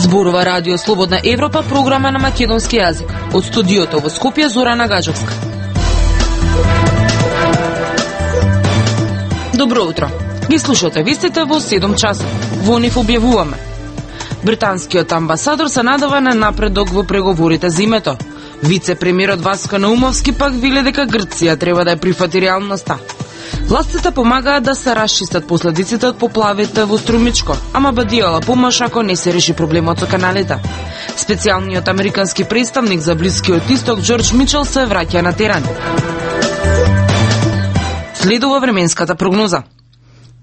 Зборува Радио Слободна Европа, програма на македонски јазик. Од студиото во Скопје, Зорана Гаджевска. Добро утро. Ги слушате вестите во 7 часот. Во нив објавуваме: британскиот амбасадор се надава на напредок во преговорите за името. Вице-премиерот Васко Наумовски пак вели дека Грција треба да ја прифати реалноста. Властите помагаат да се расчистат последиците од поплавите во Струмичко, ама бадијала помош ако не се реши проблемот со каналите. Специјалниот американски представник за Блискиот Исток Џорџ Мичел се враќа на терен. Следува временската прогноза.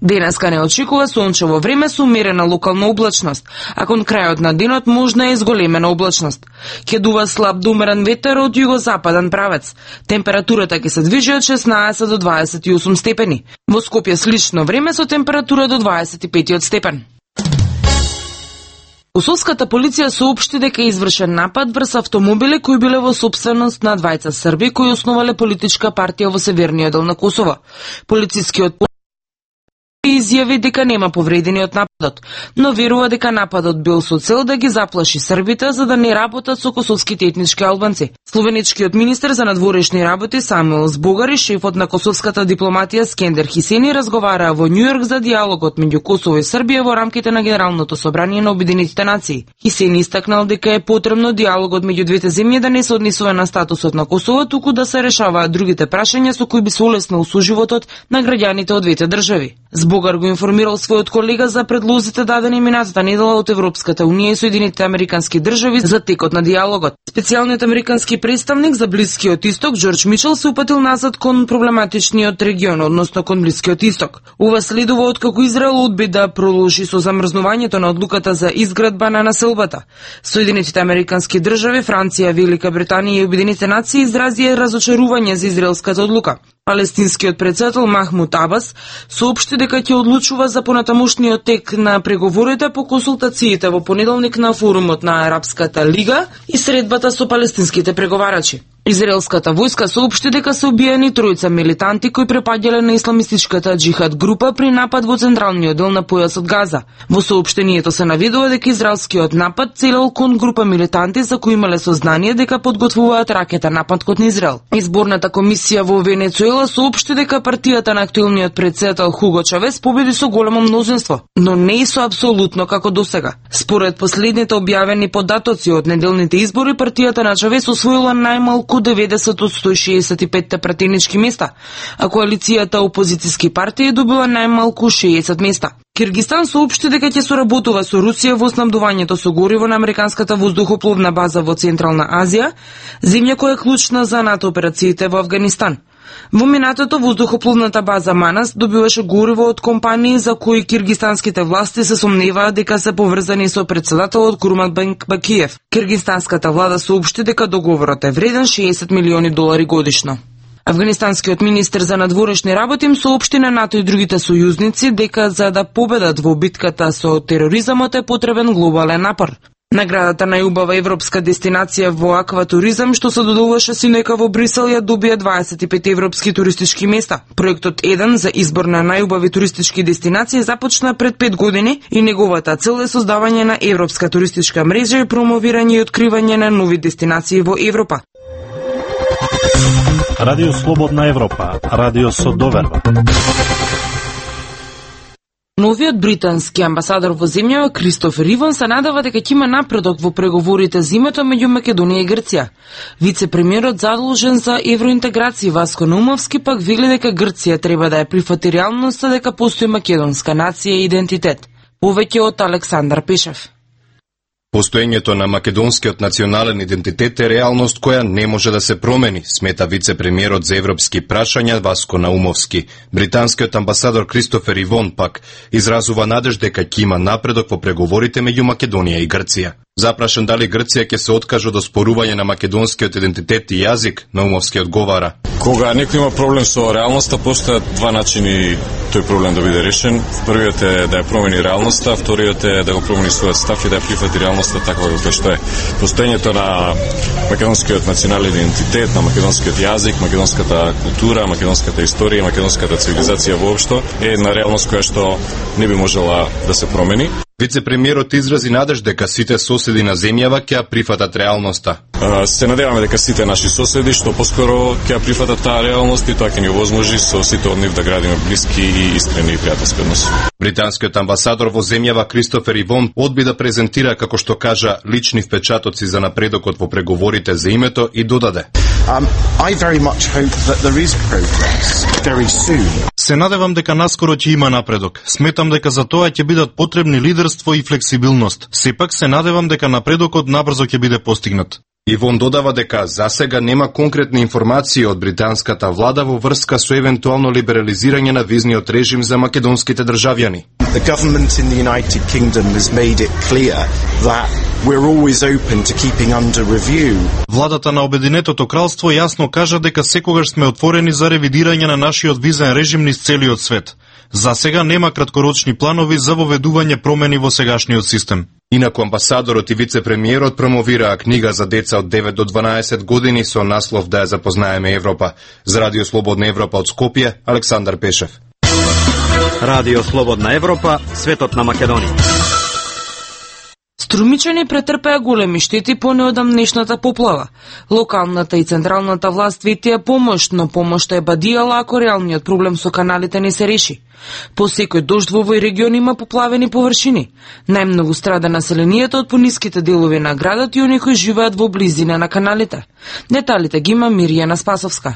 Денеска не очекува сончево време со умерена локална облачност, а кон крајот на денот можна е зголемена облачност. Ќе дува слаб до умерен ветер од југозападен правец. Температурата ќе се движи од 16 до 28 степени. Во Скопје слично време со температура до 25 степен. Косовската полиција соопшти дека е извршен напад врз автомобили кои биле во собственост на двајца Срби кои основале политичка партија во северниот дел на Косово. Полицискиот изјави дека нема повредени од нападот, но верува дека нападот бил со цел да ги заплаши србите за да не работат со косовските етнички албанци. Словеничкиот министер за надворешни работи Самуел Збогар и шефот на косовската дипломатија Скендер Хисени разговараа во Њујорк за диалогот меѓу Косово и Србија во рамките на Генералното собрание на Обединетите нации. Хисени истакнал дека е потребно диалогот меѓу двете земји да не се однесува на статусот на Косово, туку да се решаваат другите прашања со кои би се улеснил соживотот на граѓаните од двете држави. Збогар го информирал својот колега за предлозите дадени минатата недела од Европската унија и Соединетите американски држави за текот на диалогот. Специјалниот американски представник за Блискиот Исток Џорџ Мичел се упатил назад кон проблематичниот регион, односно кон Блискиот Исток. Ова следува откако Израел одби да продолжи со замрзнувањето на одлуката за изградба на населбата. Соединетите американски држави, Франција, Велика Британија и Обединетите нации изразија разочарување за израелската одлука. Палестинскиот претседател Махмуд Абас соопшти дека ќе одлучува за понатамошниот тек на преговорите по консултациите во понеделник на форумот на Арапската лига и средбата со палестинските преговарачи. Израелската војска соопшти дека се убиени тројца милитанти кои препаѓале на исламистичката џихад група при напад во централниот дел на појасот Газа. Во соопштението се наведува дека израелскиот напад целел кон група милитанти за кои имале сознание дека подготвуваат ракетен напад кон Израел. Изборната комисија во Венецуела соопшти дека партијата на актуелниот претседател Хуго Чавес победи со големо мнозинство, но не и со апсолутно како досега. Според последните објавени податоци од неделните избори, партијата на Чавес освоила најмалку 90 од 165 пратенички места, а коалицијата опозициски партии добила најмалку 60 места. Киргистан соопшти дека ќе соработува со Русија во снабдувањето со гориво на американската воздухопловна база во Централна Азија, земја која е клучна за НАТО операциите во Авганистан. Во минатото воздухопловната база Манас добиваше гориво од компании за кои киргистанските власти се сомневаат дека се поврзани со претседателот Курманбек Бакиев. Киргистанската влада соопшти дека договорот е вреден $60 милиони годишно. Афганистанскиот министер за надворешни работи им соопшти на НАТО и другите сојузници дека за да победат во битката со тероризмот е потребен глобален напор. Наградата најубава европска дестинација во акватуризам, што се доделуваше синека во Брисел, ја добија 25 европски туристички места. Проектот 1 за избор на најубави туристички дестинации започна пред 5 години и неговата цел е создавање на европска туристичка мрежа и промовирање и откривање на нови дестинации во Европа. Радио Слободна Европа, радио со доверба. Новиот британски амбасадор во земјава Кристофер Иван се надава дека ќе има напредок во преговорите за името меѓу Македонија и Грција. Вице-премиерот задолжен за евроинтеграција Васко Наумовски пак вели дека Грција треба да ја прифати реалноста дека постои македонска нација и идентитет. Повеќе од Александар Пешев. Постоењето на македонскиот национален идентитет е реалност која не може да се промени, смета вице-премиерот за европски прашања Васко Наумовски. Британскиот амбасадор Кристофер Ивон пак изразува надеж дека ќе има напредок во преговорите меѓу Македонија и Грција. Запрашен дали Грција ќе се откаже од оспорување на македонскиот идентитет и јазик, Наумовски одговара: Кога некој има проблем со реалноста, постојат два начини тој проблем да биде решен. Првиот е да ја промени реалноста, вториот е да го промени својот став и да ја прифати реалноста таква како што е. Постоењето на македонскиот национален идентитет, на македонскиот јазик, македонската култура, македонската историја, македонската цивилизација воопшто е една реалност која што не би можела да се промени. Вице-премиерот изрази надеж дека сите соседи на земјава ќе прифатат реалноста. Се надеваме дека сите наши соседи што поскоро ќе прифатат таа реалност и тоа ќе ни овозможи со сите од нив да градиме блиски и искрени и пријателски односи. Британскиот амбасадор во земјава Кристофер Ивон одби да презентира, како што кажа, лични впечатоци за напредокот во преговорите за името и додаде: I very much hope that there is progress very soon. Се надевам дека наскоро ќе има напредок. Сметам дека за тоа ќе бидат потребни лидерство и флексибилност. Сепак се надевам дека напредокот набрзо ќе биде постигнат. Ивон додава дека засега нема конкретни информации од британската влада во врска со евентуално либерализирање на визниот режим за македонските државјани. The government in the United Kingdom has made it clear that we're always open to keeping under review. Владата на Обединетото кралство јасно кажа дека секогаш сме отворени за ревидирање на нашиот визен режим низ целиот свет. За сега нема краткорочни планови за воведување промени во сегашниот систем. Инаку амбасадорот и вице-премиерот промовираа книга за деца од 9 до 12 години со наслов "Да ја запознаеме Европа". За Радио Слободна Европа од Скопје, Александар Пешев. Радио Слободна Европа, светот на Македонија. Струмичани претрпеа големи штети по неодамнешната поплава. Локалната и централната власт ветија помош, но помошта е бадијала ако реалниот проблем со каналите не се реши. По секој дожд во овој регион има поплавени површини. Најмногу страда населението од пониските делови на градот и оние кои живеат во близина на каналите. Деталите ги има Миријана Спасовска.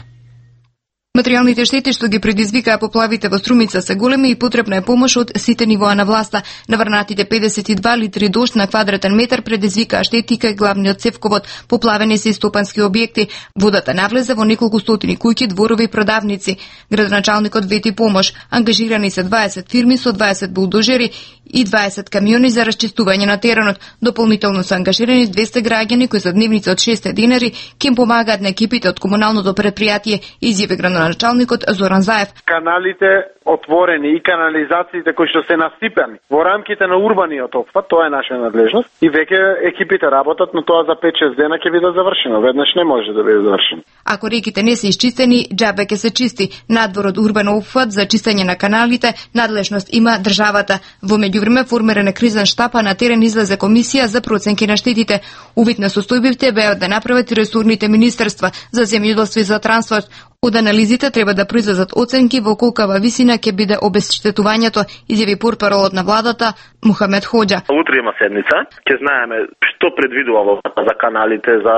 Материјалните штети што ги предизвикаа поплавите во Струмица се големи и потребна е помош од сите нивоа на власта. Наврнатите 52 литри дожд на квадратен метар предизвикаа штети кај главниот цевковод. Поплавени се и стопански објекти. Водата навлезе во неколку стотини куќи, дворови и продавници. Градоначалникот вети помош. Ангажирани се 20 фирми со 20 булдожери и 20 камиони за расчистување на теренот. Дополнително се ангажирани 200 граѓани кои за дневница од 6 динари ќе им помагаат на екипите од комуналното предпријатие, изјави градоначалникот Зоран Заев. Каналите отворени и канализациите кои што се насипани во рамките на урбаниот опфат, тоа е наша надлежност и веќе екипите работат, но тоа за 5-6 дена ќе биде завршено. Веднаш не може да биде завршено. Ако реките не се исчистени, џабе ќе се чисти. Надвор од урбан опфат за чистење на каналите, надлежност има државата. Во меѓувреме формиран е кризен штаб, а на терен излезе комисија за проценки на штетите. Увид на состојбивте беа да направат и ресорните министерства за земјоделство и за транспорт. Од анализите треба да произлезат оценки во колкава висина ќе биде обезштетувањето, изјави портпаролот на владата Мухамед Хоџа. Утре има седница, ќе знаеме што предвидува за каналите, за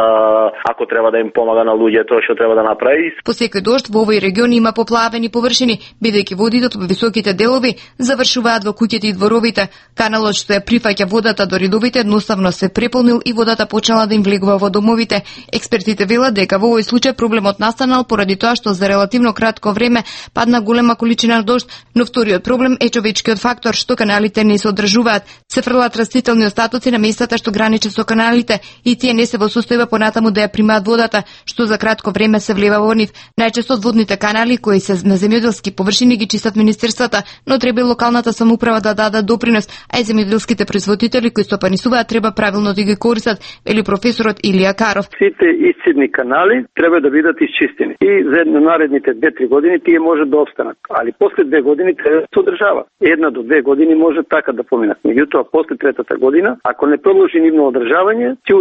ако треба да им помага на луѓето, што треба да направи. По секој дожд во овој регион има поплавени површини, бидејќи водите од високите делови завршуваат во куќите и дворовите. Каналот што ја прифаќа водата до редовите едноставно се преполнил и водата почнала да им влегува во домовите. Експертите велат дека во овој случај проблемот настанал поради тоа што за релативно кратко време падна голема количина дожд, но вториот проблем е човечкиот фактор што каналите не се одржуваат. Се фрлат растителни остатоци на местата што граничи со каналите и тие не се во состојба понатаму да ја примаат водата, што за кратко време се влева во нив. Најчесто водните канали кои се на земјоделски површини ги чистат министерствата, но треба и локалната самоуправа да дадат допринос, а и земјоделските производители кои стопанисуваат треба правилно да ги користат, вели професорот Илија Каров. Сите исцидни канали треба да бидат исчистени и за наредните 2-3 години тие може да обстанат, али после 2 години треба да се одржава. 1 до 2 години може така да поминат. Меѓутоа после третата година, ако не продолжи нивно одржавање, ќе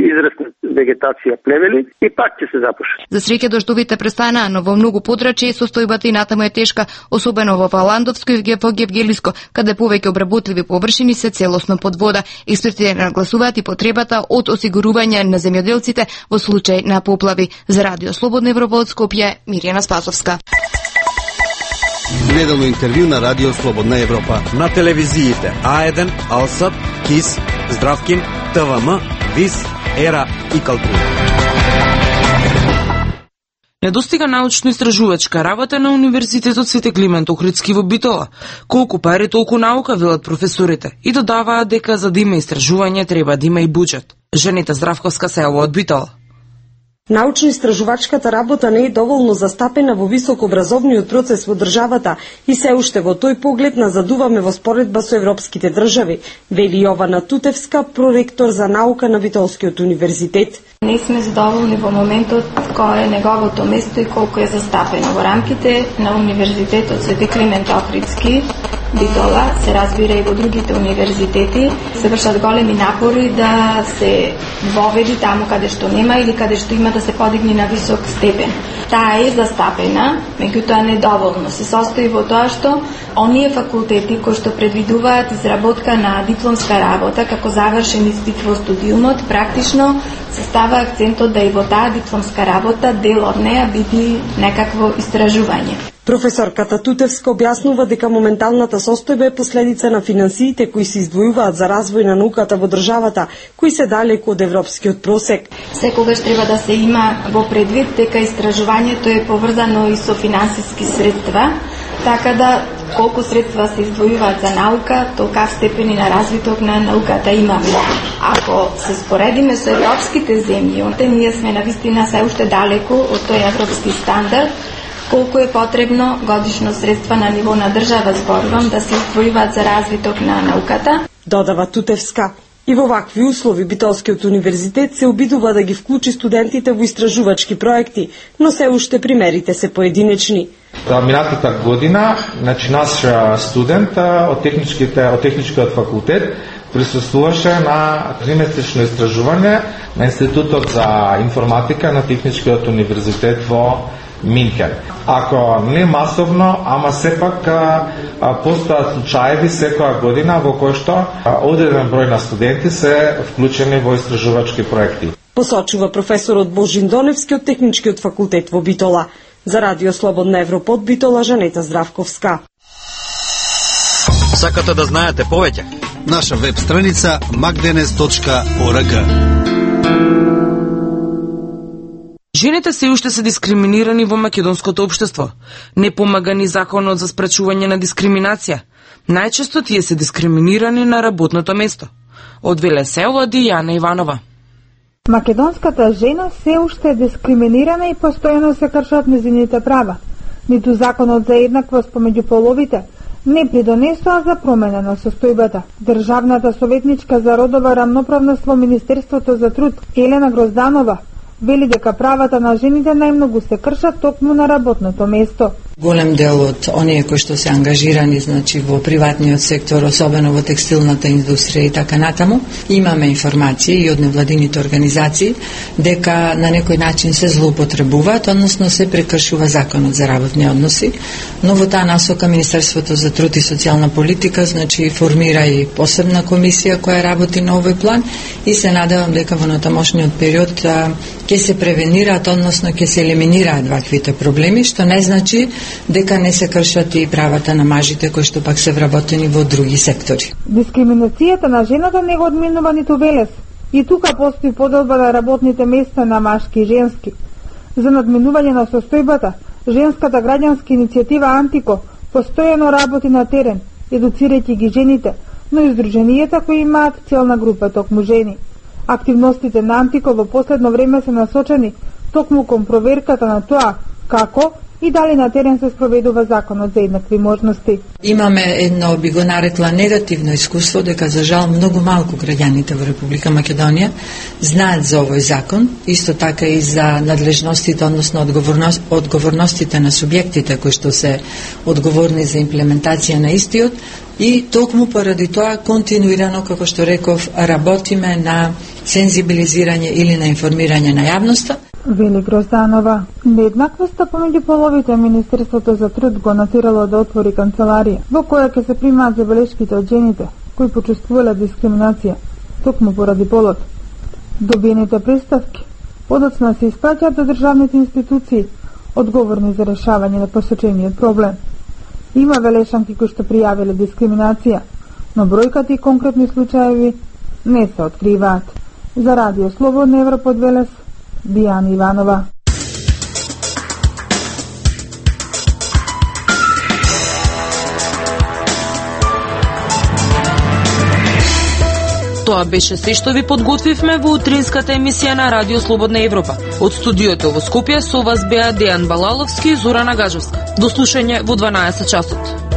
израсне вегетација, плевели и пак ќе се запуши. За среќа дождовите престанаа, но во многу подрачја состојбата и натаму е тешка, особено во Валандовско и во Гевгелиско, каде повеќе обработливи површини се целосно под вода. Експертите нагласуваат и потребата од осигурување на земјоделците во случај на поплави. За Радио Слободна Европа од Скопје, Миријана Спасовска. Неделно интервју на Радио Слободна Европа. На телевизиите А1, Алсат, КИС, Здравкин, ТВМ, ВИС, ЕРА и Калтура. Недостига научно-истражувачка работа на Универзитетот Свети Климент Охридски во Битола. Колку пари, толку наука, велат професорите. И додаваат дека за да има истражување треба да има и буџет. Жените Здравковска се од Битола. Научно-истражувачката работа не е доволно застапена во високообразовниот процес во државата и се уште во тој поглед назадуваме во споредба со европските држави, вели Јована Тутевска, проректор за наука на Битолскиот универзитет. Не сме задоволни во моментот кој е неговото место и колку е застапено во рамките на Универзитетот Свети Климент Охридски. Битола, се разбира и во другите универзитети, се вршат големи напори да се воведи таму каде што нема или каде што има да се подигне на висок степен. Таа е застапена, меѓутоа недоволно. Се состои во тоа што оние факултети кои што предвидуваат изработка на дипломска работа како завршен испит во студиумот, практично се става акцентот да и во таа дипломска работа дел од неа биде некакво истражување. Професорката Тутевска објаснува дека моменталната состојба е последица на финансиите кои се издвојуваат за развој на науката во државата, кои се далеку од европскиот просек. Секогаш треба да се има во предвид дека истражувањето е поврзано и со финансиски средства, така да колку средства се издвојуваат за наука, толкав степени на развиток на науката имаме. Ако се споредиме со европските земји, ние сме навистина се уште далеку од тој европски стандард. Колку е потребно годишно средства на ниво на држава, зборувам, да се издвојуваат за развиток на науката? Додава Тутевска. И во вакви услови Битолскиот универзитет се обидува да ги вклучи студентите во истражувачки проекти, но се уште примерите се поединечни. Минатата година, наш студент од техничкиот факултет присуствуваше на тримесечно истражување на Институтот за информатика на Техничкиот универзитет во Минхен. Ако не масовно, ама сепак постојат случаеви секоја година во кои што одреден број на студенти се вклучени во истражувачки проекти. Посочува професорот Божин Доневски од Техничкиот факултет во Битола. За Радио Слободна Европа од Битола, Жанета Здравковска. Сакате да знаете повеќе? Наша веб страница magdenes.org. Жените се уште се дискриминирани во македонското општество. Не помага ни законот за спречување на дискриминација. Најчесто тие се дискриминирани на работното место. Од Велесево, Дијана Иванова. Македонската жена се уште е дискриминирана и постојано се кршат нејзините права. Ниту законот за еднаквост помеѓу половите не придонесоа за промена на состојбата. Државната советничка за родова рамноправност во Министерството за труд Елена Грозданова вели дека правата на жените најмногу се кршат токму на работното место. Голем дел од оние кои што се ангажирани, значи во приватниот сектор, особено во текстилната индустрија и така натаму, имаме информации и од невладините организации дека на некој начин се злоупотребуваат, односно се прекршува законот за работни односи, но во таа насока Министерството за труд и социјална политика, значи формира и посебна комисија која работи на овој план и се надевам дека во натамошниот период ќе се превенираат, односно ќе се елиминираат ваквите проблеми, што не значи дека не се кршат и правата на мажите кои што пак се вработени во други сектори. Дискриминацијата на жената не го одминува ниту Велес. И тука постои поделба на работните места на машки и женски. За надминување на состојбата, женската граѓанска иницијатива Антико постојано работи на терен, едуцирајќи ги жените, но и здруженијата кои имаат целна група токму жени. Активностите на Антико во последно време се насочени токму кон проверката на тоа како и дали на терен се спроведува законот за еднакви можности. Имаме едно, би го нарекла, негативно искуство, дека за жал многу малку граѓаните во Република Македонија знаат за овој закон, исто така и за надлежностите, односно одговорностите на субјектите кои што се одговорни за имплементација на истиот, и токму поради тоа континуирано, како што реков, работиме на сензибилизирање или на информирање на јавноста. Вели Грозданова. Нееднаквоста помеѓу половите Министерството за труд го натирало да отвори канцеларија, во која ќе се примаат забелешките од жените кои почувствувале дискриминација токму поради полот. Добиените представки подоцна се испраќаат до државните институции одговорни за решавање на посочениот проблем. Има велешанки кои што пријавиле дискриминација, но бројката и конкретни случаеви не се откриваат. За Радио Слободна Европа од Велес, Дијана Иванова. Тоа беше се што ви подготвивме во утринската емисија на Радио Слободна Европа. Од студиото во Скопје со вас беа Дејан Балаловски и Зорана Гажовска. До слушање во 12 часот.